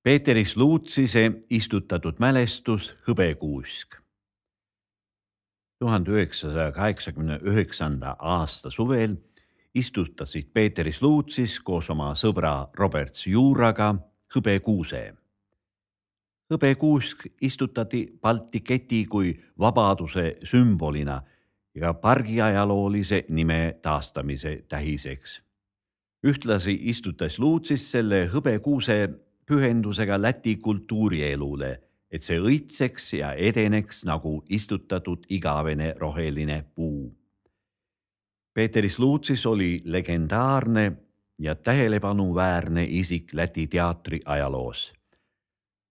Peeteris Luutsise istutatud mälestus Hõbekuusk. 1989. aasta suvel istutasid Peeteris Luutsis koos oma sõbra Robert Juuraga hõbekuuse. Hõbekuusk istutati Balti keti kui vabaduse sümbolina ja pargi ajaloolise nime taastamise tähiseks. Ühtlasi istutas Luutsis selle hõbekuuse pühendusega Läti kultuurielule, et see õitseks ja edeneks nagu istutatud igavene roheline puu. Peeteris Luutsis oli legendaarne ja tähelepanuväärne isik Läti teatri ajaloos.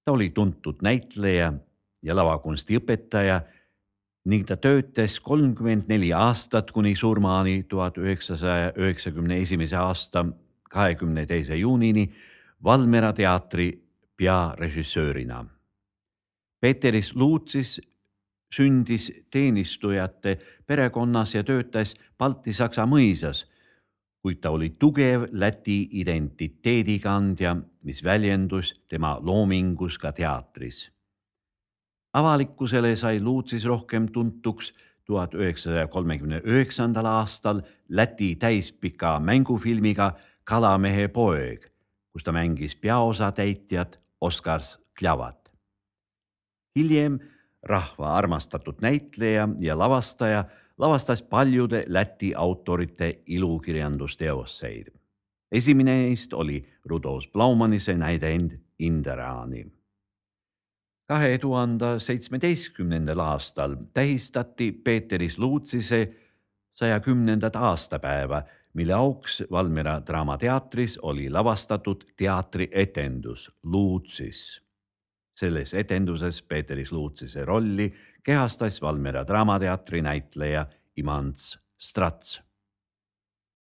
Ta oli tuntud näitleja ja lavakunsti õpetaja ning ta töötas 34 aastat kuni surmani 1991. aasta 22. juunini Valmiera teatri pearežissöörina. Peeteris Luutsis sündis teenistujate perekonnas ja töötas Balti-Saksa mõisas, kuid ta oli tugev Läti identiteedikandja, mis väljendus tema loomingus ka teatris. Avalikkusele sai Luutsis rohkem tuntuks 1939. aastal Läti täispika mängufilmiga Kalamehe poeg, kus ta mängis peaosatäitjat Oskar Kljavat. Hiljem rahva armastatud näitleja ja lavastaja lavastas paljude Läti autorite ilukirjandusteoseid. Esimene neist oli Rudolf Blaumanise näidend Inderaani. 2017. aastal tähistati Peeteris Luutsise 110. aastapäeva, mille auks Valmiera Draamateatris oli lavastatud teatrietendus Luutsis. Selles etenduses Peeteris Luutsise rolli kehastas Valmiera Draamateatri näitleja Imants Strats.